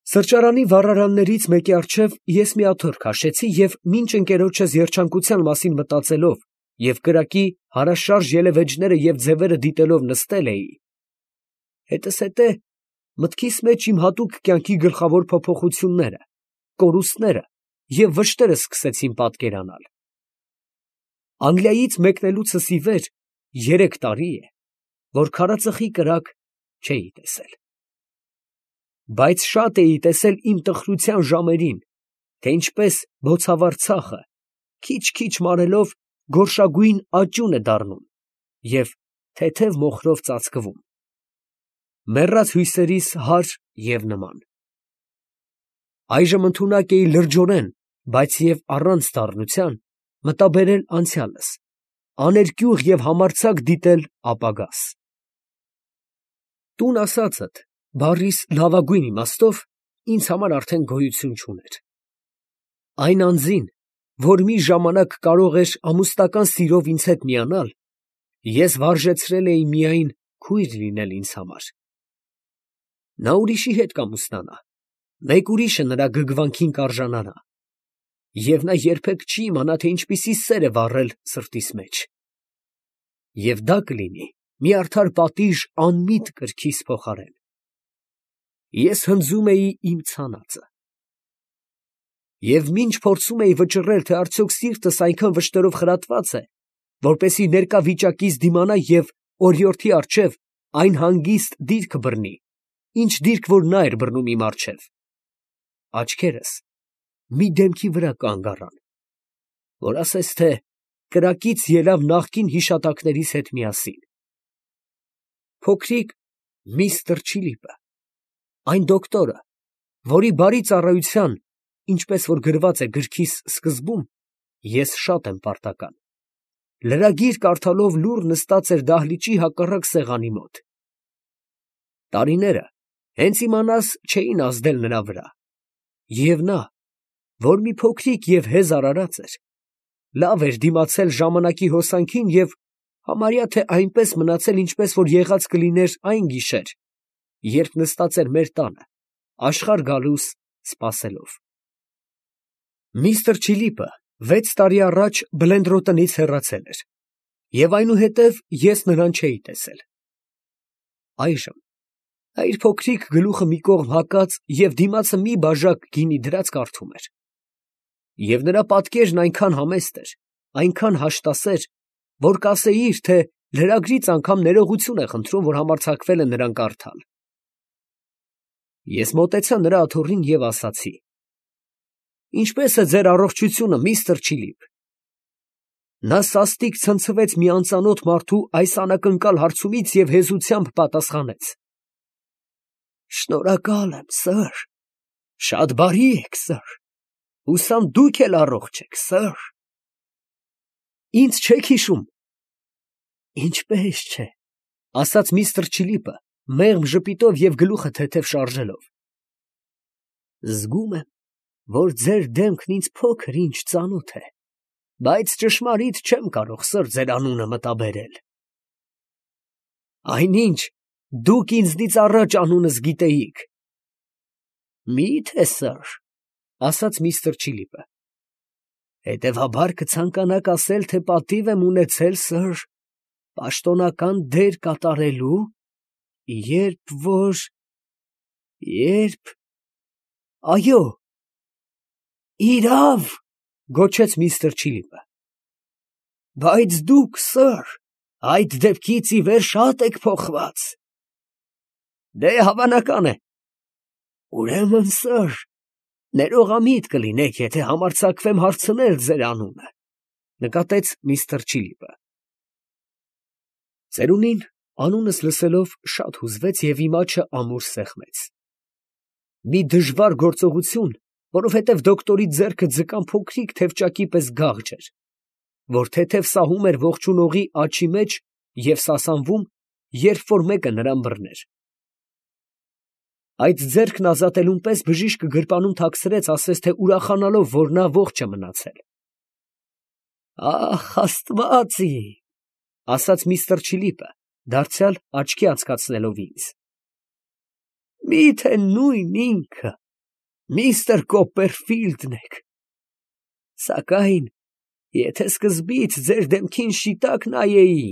Սրճարանի վառարաններից մեկի առջև ես մի աթոռ քաշեցի և մինչ ընկերոջս երջանկության մասին մտածելով և կրակի հարաշարժ ելևէջները և ձևերը դիտելով նստել էի, հետզհետե մտքիս մեջ իմ հատուկ կյանքի գլխավոր փոփոխությունները, կորուստները և վշտերը սկսեցին պատկերանալ։ Անգլիայից մեկնելուցս ի վեր 3 տարի է, որ քարածխի կրակ չէի տեսել։ Բայց շատ էի տեսել իմ տխրության ժամերին, թե ինչպես բոցավառ ցախը քիչ֊քիչ մարելով գորշագույն աճուն է դառնում և թեթև մոխրով ծածկվում, մեռած հույսերիս հարր և նման։ Այժմ ընդունակ էի լրջորեն, բայց և առանց դառնության, մտաբերել անցյալս, աներկյուղ և համարձակ դիտել ապագաս։ Տուն ասածդ բառիս լավագույն իմաստով ինձ համար արդեն գոյություն չուներ։ Այն անձին, որ մի ժամանակ կարող էր ամուսնական սիրով ինձ հետ միանալ, ես վարժեցրել էի միայն քույր լինել ինձ համար։ Նա ուրիշի հետ կամուսնանա, մեկ ուրիշը նրա գգվանքին կարժանանա, և նա երբեք չի իմանա, թե ինչպիսի սեր է վառել սրտիս մեջ։ Եվ դա կլինի մի արդար պատիժ անմիտ կրքիս փոխարեն։ Ես հնձում էի իմ ցանածը։ Եվ մինչ փորձում էի վճռել, թե արդյոք սիրտս այնքան վշտերով խրատված է, որպեսզի ներկա վիճակից դիմանա և օրիորդի առջև այն հանգիստ դիրքը բռնի, ինչ դիրք որ նա էր բռնում իմ առջև, աչքերս մի դեմքի վրա կանգ առան, որ ասես թե կրակից ելավ նախկին հիշատակներիս հետ միասին։ Փոքրիկ միստր Չիլիպը, այն դոկտորը, որի բարի ծառայության, ինչպես որ գրված է գրքիս սկզբում, ես շատ եմ պարտական, լրագիր կարդալով լուռ նստած էր դահլիճի հակառակ սեղանի մոտ։ Տարիները հենց իմանաս չէին ազդել նրա վրա, և նա, որ մի փոքրիկ և հեզ արարած էր, լավ էր դիմացել ժամանակի հոսանքին և համարյա թե այնպես մնացել, ինչպես որ եղած կլիներ այն գիշեր, երբ նստած էր մեր տանը, աշխարհ գալուս սպասելով։ Միստր Չիլիպը 6 տարի առաջ Բլենդրոտնից հեռացել էր, և այնուհետև ես նրան չէի տեսել։ Այժմ նա իր փոքրիկ գլուխը մի կողմ հակած և դիմացը մի բաժակ գինի դրած կարդում էր, և նրա պատկերն այնքան համեստ էր, այնքան հաշտասեր, որ կասեիր, թե լրագրից անգամ ներողություն է խնդրում, որ համարձակվել է նրան կարդալ։ Ես մոտեցա նրա աթոռին և ասացի. «Ինչպե՞ս է ձեր առողջությունը, միստր Չիլիպ»։ Նա սաստիկ ցնցվեց մի անծանոթ մարդու այս անակնկալ հարցումից և հեզությամբ պատասխանեց. «Շնորհակալ եմ, սըր, շատ բարի եք, սըր, հուսամ դուք էլ առողջ եք, սըր»։ Ինձ չեք հիշում։ Ինչպե՞ս չէ, ասաց միստր Չիլիպը, մեղմ ժպիտով և գլուխը թեթև շարժելով։ Զգում եմ, որ ձեր դեմքն ինձ փոքր֊ինչ ծանոթ է, բայց ճշմարիտ չեմ կարող, սըր, ձեր անունը մտաբերել։ Այնինչ, դուք ինձնից առաջ անունս գիտեիք։ Մի՞թե, սըր, ասաց միստր Չիլիպը, հետևաբար կցանկանաք ասել, թե պատիվ եմ ունեցել, սըր, պաշտոնական դեր կատարելու, երբ… Այո, իրավ, գոչեց միստր Չիլիպը, բայց դուք, սըր, այդ դեպքից ի վեր շատ եք փոխված։ Դե, հավանական է։ Ուրեմն, սըր, ներողամիտ կլինեք, եթե համարձակվեմ հարցնել ձեր անունը, նկատեց միստր Չիլիպը։ Ծերունին անունս լսելով շատ հուզվեց և իմ աչը ամուր սեղմեց։ Մի դժվար գործողություն, որովհետև դոկտորի ձեռքը ձկան փոքրիկ թևճակի պես գաղջ էր, որ թեթև սահում էր ողջունողի աջի մեջ և սասանվում, երբ որ մեկը նրան բռներ։ Այդ ձեռքն ազատելուն պես բժիշկը գրպանում թաքցրեց, ասես թե ուրախանալով, որ նա ողջ է մնացել։ Ախ, աստված իմ, ասաց միստր Չիլիպը, դարձյալ աչքի անցկացնելով ինձ։ Մի՞թե նույն ինքը, միստր Կոպերֆիլդն եք։ Սակայն, եթե սկզբից ձեր դեմքին շիտակ նայեի,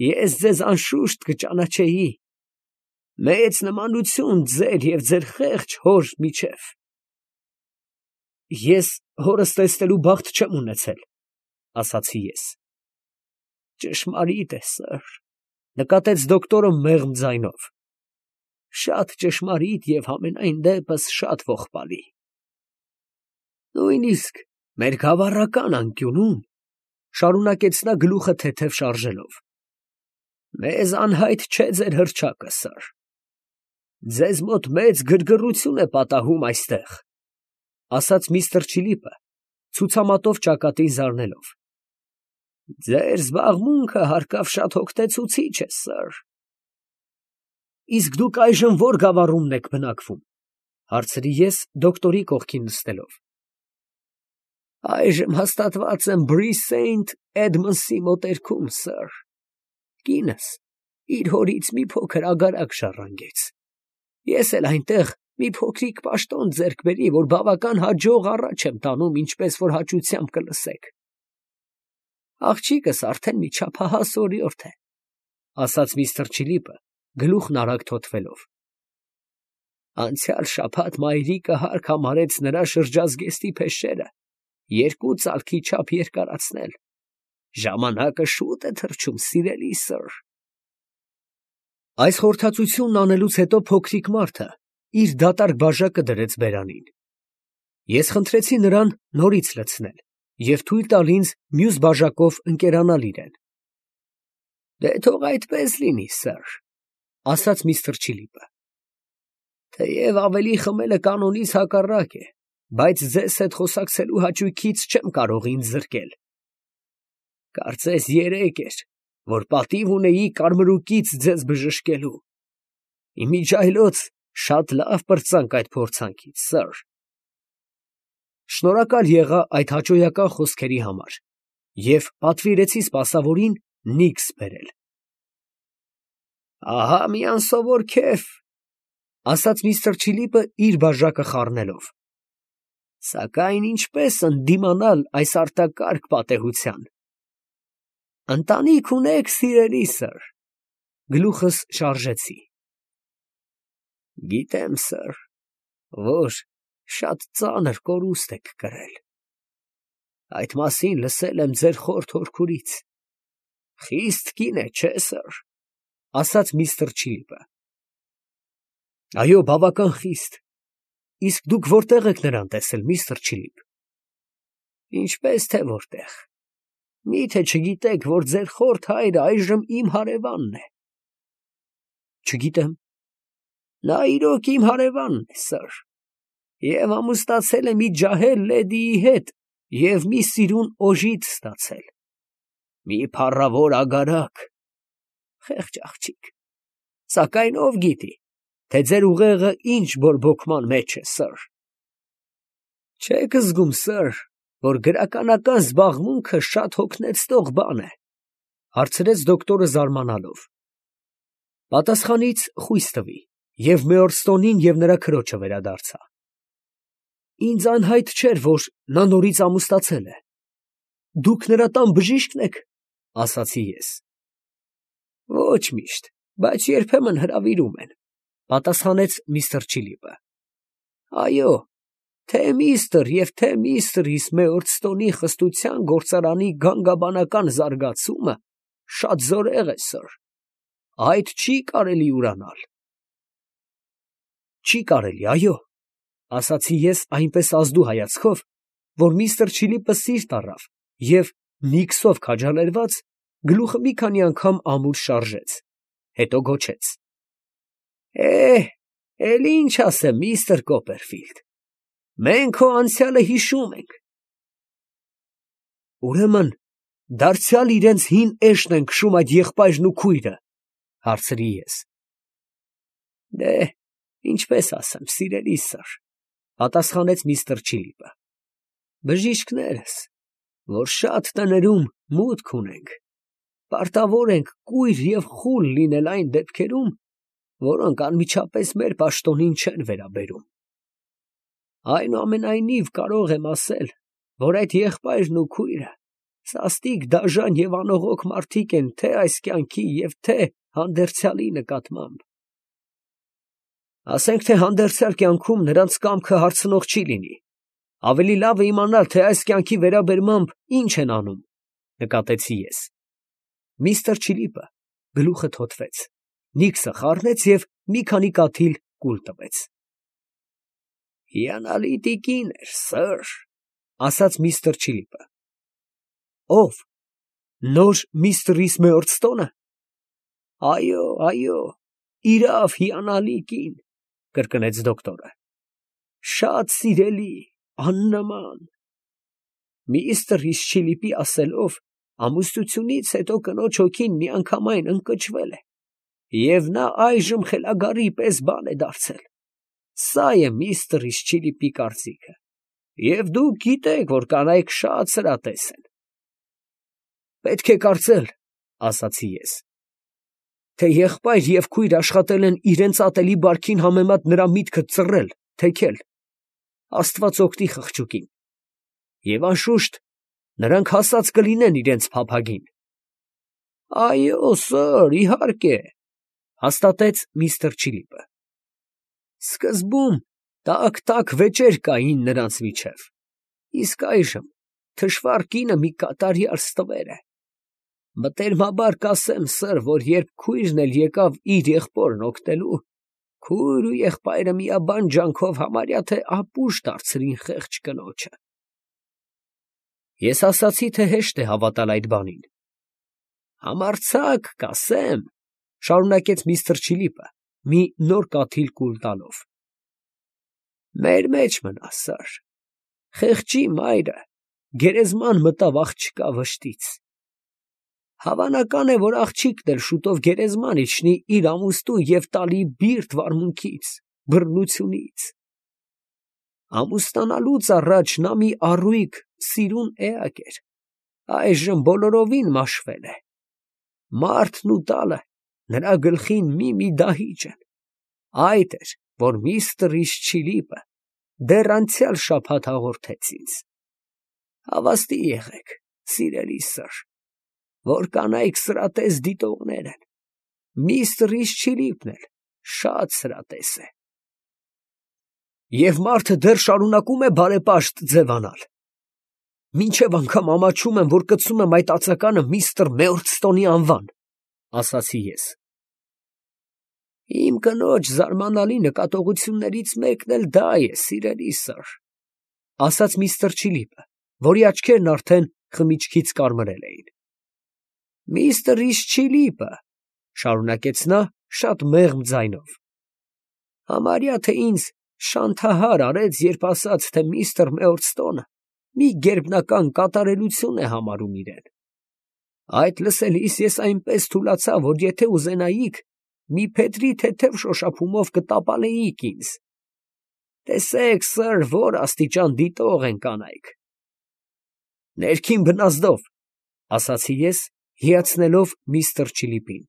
ես ձեզ անշուշտ կճանաչեի. մեծ նմանություն ձեր և ձեր խեղճ հոր միջև։ Ես հորս տեսնելու բախտ չեմ ունեցել, ասացի ես։ Ճշմարիտ է, սըր, նկատեց դոկտորը մեղմ ձայնով, շատ ճշմարիտ և համենայն դեպս շատ ողբալի։ Նույնիսկ մեր գավառական անկյունում, շարունակեց նա գլուխը թեթև շարժելով, մեզ անհայտ չէ ձեր հռչակը, սըր, ձեզ մոտ մեծ գրգռություն է պատահում այստեղ, ասաց միստր Չիլիպը, ցուցամատով ճակատին զարնելով։ Ձեր զբաղմունքը հարկավ շատ հոգնեցուցիչ է, սըր։ Իսկ դուք այժմ ո՞ր գավառումն եք բնակվում, հարցրի ես դոկտորի կողքին նստելով։ Այժմ հաստատված եմ Բրի Սեյնթ Էդմնդսի մոտերքում, սըր։ Կինս իր հորից մի փոքր ագարակ ժառանգեց։ Ես էլ այնտեղ մի փոքրիկ պաշտոն ձեռք բերի, որ բավական հաջող առաջ եմ տանում, ինչպես որ հաճությամբ կլսեք։ Աղջիկս արդեն մի չափահաս օրիորդ է, ասաց միստր Չիլիպը, գլուխն արագ թոթվելով։ Անցյալ շաբաթ մայրիկը հարկ համարեց նրա շրջազգեստի փեշերը 2 ծալքի չափ երկարացնել։ Ժամանակը շուտ է թռչում, սիրելի սըր։ Այս խորհրդածությունն անելուց հետո փոքրիկ մարդը իր դատարկ բաժակը դրեց բերանին։ Ես խնդրեցի նրան նորից լցնել և թույլ տալ ինձ մյուս բաժակով ընկերանալ իրեն։ Դե թող այդպես լինի, սըր, ասաց միստր Չիլիպը։ Թեև ավելի խմելը կանոնից հակառակ է, բայց ձեզ հետ խոսակցելու հաճույքից չեմ կարող ինձ զրկել։ Կարծես երեկ էր, որ պատիվ ունեի կարմրուկից ձեզ բժշկելու։ Իմիջիայլոց շատ լավ պրծանք այդ փորձանքից, սըր։ Շնորհակալ եղա այդ հաճոյական խոսքերի համար և պատվիրեցի սպասավորին նիքս բերել։ Ահա մի անսովոր քեֆ, ասաց միստր Չիլիպը իր բաժակը խառնելով։ Սակայն ինչպես ընդդիմանալ այս արտակարգ պատեհության։ Ընտանիք ունեք, սիրելի սըր, գլուխս շարժեցի։ Գիտեմ, սըր, որ շատ ծանր կորուստ եք կրել։ Այդ մասին լսել եմ ձեր խորթ հորքուրից։ Խիստ կին է, չէ՞, սըր, ասաց միստր Չիլիպը։ Այո, բավական խիստ։ Իսկ դուք որտեղ եք նրան տեսել, միստր Չիլիպ։ Ինչպես թե որտեղ։ Մի՞թե չգիտեք, որ ձեր խորթ հայրը այժմ իմ հարևանն է։ Չգիտեմ։ Նա իրոք իմ հարևանն է, սըր, և ամուսնացել է մի ջահել լեդիի հետ և մի սիրուն օժիտ ստացել։ Մի փառավոր ագարակ, խեղճ աղջիկ։ Սակայն ով գիտի, թե ձեր ուղեղը ինչ բորբոքման մեջ է, սըր։ Չեք զգում, սըր, որ գրականական զբաղմունքը շատ հոգնեցնող բան է, հարցրեց դոկտորը զարմանալով։ Պատասխանից խույս տվի և Մեորստոնին և նրա քրոջը վերադարձա։ Ինձ անհայտ չէր, որ նա նորից ամուսնացել է։ Դուք նրա տան բժիշկն եք, ասացի ես։ Ոչ միշտ, բայց երբեմն հրավիրում են, պատասխանեց միստր Չիլիպը։ Այո, թե միստր և թե միստրիս Մեորստոնի խստության գործարանի գանգաբանական զարգացումը շատ զորեղ է, սըր, այդ չի կարելի ուրանալ։ Չի կարելի, այո, ասացի ես այնպես ազդու հայացքով, որ միստր Չիլիպը սիրտ առավ և նիքսով քաջալերված գլուխը մի քանի անգամ ամուր շարժեց, հետո գոչեց. Էլ ինչ ասեմ, միստր Կոպերֆիլդ, մենք քո անցյալը հիշում ենք։ Ուրեմն դարձյալ իրենց հին էշն են քշում այդ եղբայրն ու քույրը, հարցրի ես։ Դե, ինչպես ասեմ, սիրելի սըր, պատասխանեց միստր Չիլիպը, բժիշկներս, որ շատ տներում մուտք ունենք, պարտավոր ենք կույր և խուլ լինել այն դեպքերում, որոնք անմիջապես մեր պաշտոնին չեն վերաբերում։ Այնուամենայնիվ կարող եմ ասել, որ այդ եղբայրն ու քույրը սաստիկ դաժան և անողոք մարդիկ են թե այս կյանքի և թե հանդերձյալի նկատմամբ։ Ասենք թե հանդերձյալ կյանքում նրանց կամքը հարցնող չի լինի, ավելի լավ է իմանալ, թե այս կյանքի վերաբերմամբ ինչ են անում, նկատեցի ես։ Միսթր Չիլիպը գլուխը թոթվեց, Նիքսը խառնեց և մի քանի կաթիլ կուլ տվեց։ Հիանալի տիկին էր, սըր, ասաց միսթր Չիլիպը։ Ո՞վ, նոր միստր Մեորստոնը։ Այո, իրավ հիանալի կին, կրկնեց դոկտորը, շատ սիրելի, աննման։ Միսթր Չիլիպի ասելով, ամուսնությունից հետո կնոջ հոգին միանգամայն ընկճվել է, և նա այժմ խելագարի պես բան է դարձել։ Սա է միսթր Չիլիպի կարծիքը, և դուք գիտեք, որ կանայք շատ սրատես են։ Պետք է կարծել, ասացի ես, թե եղբայր և քույր աշխատել են իրենց ատելի բարքին համեմատ նրա միտքը ծռել, թեքել, Աստված օգնի խղճուկին, և անշուշտ նրանք հասած կլինեն իրենց փափագին։ Այո, սըր, իհարկե, հաստատեց միսթր Չիլիպը։ Սկզբում տաք վեճեր կային նրանց միջև, իսկ այժմ թշվառ կինը մի կատարյալ ստվեր է։ Մտերմաբար կասեմ, սըր, որ երբ քույրն էլ եկավ իր եղբորն օգնելու, քույր ու եղբայրը միաբան ջանքով համարյա թե ապուշ դարձրին խեղճ կնոջը։ Ես ասացի, թե հեշտ է հավատալ այդ բանին։ Համարձակ կասեմ, շարունակեց միսթր Չիլիպը, մի նոր կաթիլ կուլ տալով. մեր մեջ մնա, սըր, խեղճի մայրը գերեզման մտավ աղջկա վշտից։ Հավանական է, որ աղջիկն էլ շուտով գերեզման իջնի իր ամուսնու և տալի բիրտ վարմունքից, բռնությունից։ Ամուսնանալուց առաջ նա մի առույգ սիրուն էակ էր, այժմ բոլորովին մաշվել է։ Մարդն ու տալը նրա գլխին մի դահիճ են։ Այդ էր, որ միսթր Չիլիպը դեռ անցյալ շաբաթ հաղորդեց ինձ։ Հավաստի եղեք, սիրելի սըր, որ կանայք սրատես դիտողներ են, միսթր Չիլիպն էլ շատ սրատես է։ Եվ մարդը դեռ շարունակում է բարեպաշտ ձևանալ։ Մինչև անգամ ամաչում եմ, որ կցում եմ այդ ածականը միսթր Մեորստոնի անվան, ասացի ես։ Իմ կնոջ զարմանալի նկատողություններից մեկն էլ դա է, սիրելի սըր, ասաց միսթր Չիլիպը, որի աչքերն արդեն խմիչքից կարմրել էին։ Միսթր Չիլիպը, շարունակեց նա շատ մեղմ ձայնով, համարյա թե ինձ շանթահար արեց, երբ ասաց, թե միսթր Մեորստոնը մի գերբնական կատարելություն է համարում իրեն։ Այդ լսելիս ես այնպես թուլացա, որ եթե ուզենայիք, մի փետրի թեթև շոշափումով կտապալեիք ինձ։ Տեսեք, սըր, որ աստիճան դիտող են կանայք։ Ներքին բնազդով, ասացի ես, հիացնելով միսթր Չիլիպին։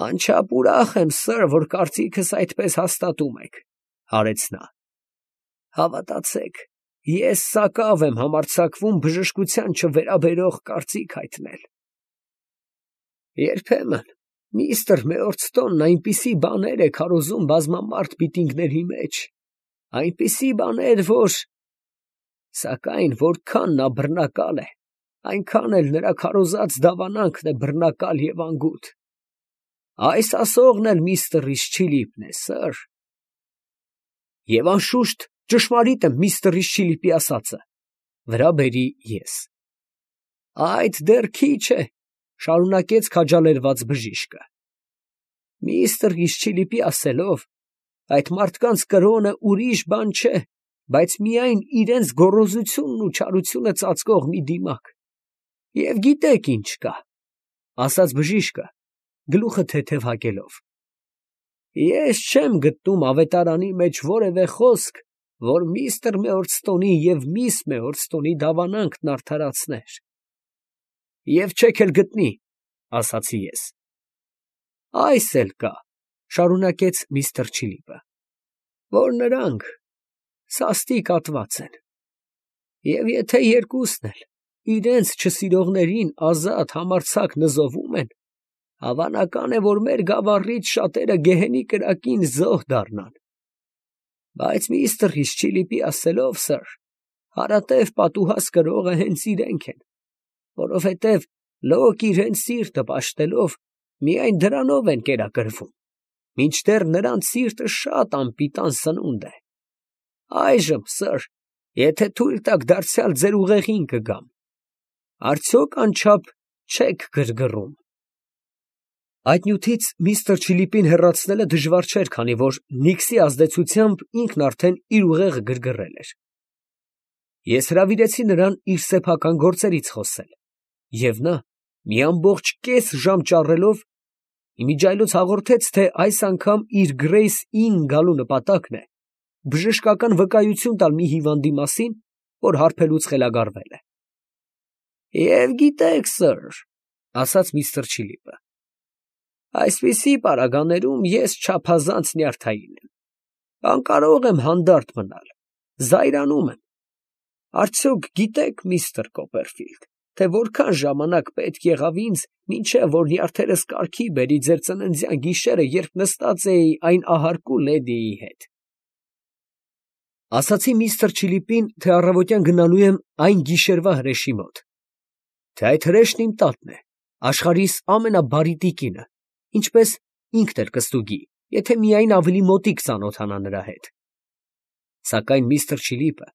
Անչափ ուրախ եմ, սըր, որ կարծիքս այդպես հաստատում եք, հարեց նա։ Հավատացեք, ես սակավ եմ համարձակվում բժշկության չվերաբերող կարծիք հայտնել։ Երբեմն միսթր Մեորստոնն այնպիսի բաներ է քարոզում բազմամարդ միտինգների մեջ, այնպիսի բաներ, որ… Սակայն որքան նա բռնակալ է, այնքան էլ նրա քարոզած դավանանքն է բռնակալ և անգութ։ Այս ասողն էլ միսթր Չիլիպն է, սըր։ Եվ անշուշտ ճշմարիտ է միսթր Չիլիպի ասածը, վրա բերի ես։ Այդ դեռ քիչ է, շարունակեց քաջալերված բժիշկը։ Միսթր Չիլիպի ասելով, այդ մարդկանց կրոնը ուրիշ բան չէ, բայց միայն իրենց գոռոզությունն ու չարությունը ծածկող մի դիմակ։ Եվ գիտեք ինչ կա, ասաց բժիշկը, գլուխը թեթև հագելով. ես չեմ գտնում ավետարանի մեջ որևէ խոսք, որ միսթր Մեորստոնի և միս Մեորստոնի դավանանքն արդարացներ։ Եվ չեք էլ գտնի, ասացի ես։ Այս էլ կա, շարունակեց միսթր Չիլիպը, որ նրանք, սաստիկ ատված են։ Եվ եթե երկուսն էլ իրենց չսիրողներին ազատ համարձակ նզովում են, հավանական է, որ մեր գավառից շատերը գեհենի կրակին զոհ դառնան։ Բայց միստր Հիսչիլիպի ասելով, սըր, հարատև պատուհաս կրողը հենց իրենք են, որովհետև լոկ իրենց սիրտը պաշտելով, միայն դրանով են կերակրվում, մինչդեռ նրանց սիրտը շատ անպիտան սնունդ է։ Այժմ, սըր, եթե թույլ տաք դարձյալ ձեր ուղեղին կգամ, արդյոք անչափ չեք գրգռում։ Այդ նյութից միստր Չիլիպին հեռացնելը դժվար չէր, քանի որ Նիքսի ազդեցությամբ ինքն արդեն իր ուղեղը գրգռել էր։ Ես հրավիրեցի նրան իր սեփական գործերից խոսել, և նա մի ամբողջ կես ժամ ճառելով իմիջիայլոց հաղորդեց, թե այս անգամ իր Գրեյս Ինն գալու նպատակն է բժշկական վկայություն տալ մի հիվանդի մասին, որ հարբելուց խելագարվել է։ «Եվ գիտեք, սըր, ֊ ասաց միստր Չիլիպը, ֊ այսպիսի պարագաներում ես չափազանց նյարդային եմ, անկարող եմ հանդարտ մնալ, զայրանում եմ։ Արդյոք գիտեք, միստր Կոպերֆիլդ, թե որքան ժամանակ պետք եղավ ինձ, մինչև որ նյարդերս կարգի բերի ձեր ծննդյան գիշերը, երբ նստած էի այն ահարկու լեդիի հետ»։ Ասացի միստր Չիլիպին, թե առավոտյան գնալու եմ այն գիշերվա հրեշի մոտ, թե այդ հրեշն իմ տատն է, աշխարհիս ամենաբարի տիկինը, ինչպես ինքն էլ կստուգի, եթե միայն ավելի մոտիկ ծանոթանա նրա հետ։ Սակայն միստր Չիլիպը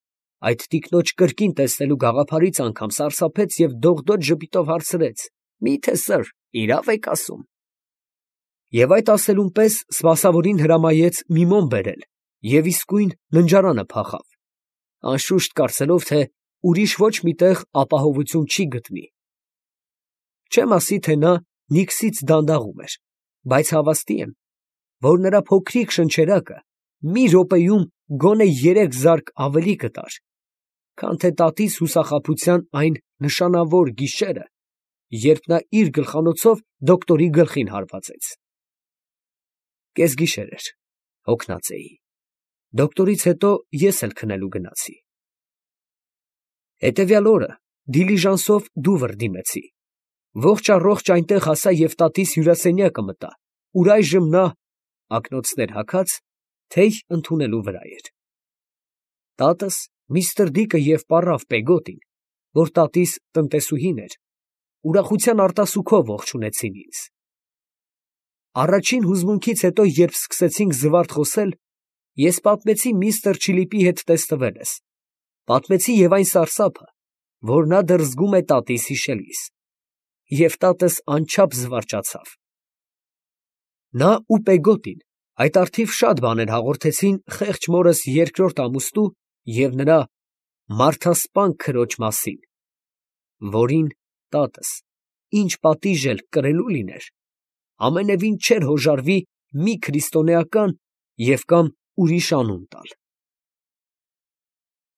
այդ տիկնոջ կրկին տեսնելու գաղափարից անգամ սարսափեց և դողդոջ ժպիտով հարցրեց. «Մի՞թե, սըր, իրավ եք ասում»։ Եվ այդ ասելուն պես սպասավորին հրամայեց մի մոմ բերել և իսկույն ննջարանը փախավ, անշուշտ կարծելով, թե ուրիշ ոչ մի տեղ ապահովություն չի գտնի։ Չեմ ասի, թե նա Նիքսից դանդաղում էր, բայց հավաստի եմ, որ նրա փոքրիկ շնչերակը մի րոպեում գոնե 3 զարկ ավելի կտար, քան թե տատիս հուսախաբության այն նշանավոր գիշերը, երբ նա իր գլխանոցով դոկտորի գլխին հարվածեց։ Կեսգիշեր էր, հոգնած էի։ Դոկտորից հետո ես էլ քնելու գնացի։ Հետևյալ օրը դիլիժանսով Դուվր դիմեցի։ Ողջ առողջ այնտեղ հասա և տատիս հյուրասենյակը մտա, ուր այժմ նա, ակնոցներ հագած, թեյ ընդունելու վրա էր։ Տատս, միստր Դիկը և պառավ Պեգոտին, որ տատիս տնտեսուհին էր, ուրախության արտասուքով ողջունեցին ինձ։ Առաջին հուզմունքից հետո, երբ սկսեցինք զվարթ խոսել, ես պատմեցի միստր Չիլիպի հետ տեսնվելս, պատմեցի և այն սարսափը, որ նա դեռ զգում է տատիս հիշելիս, և տատս անչափ զվարճացավ։ Նա ու Պեգոտին այդ առթիվ շատ բաներ հաղորդեցին խեղճ մորս երկրորդ ամուսնու և նրա մարդասպան քրոջ մասին, որին տատս, ինչ պատիժ էլ կրելու լիներ, ամենևին չէր հոժարվի մի քրիստոնեական և կամ ուրիշ անուն տալ։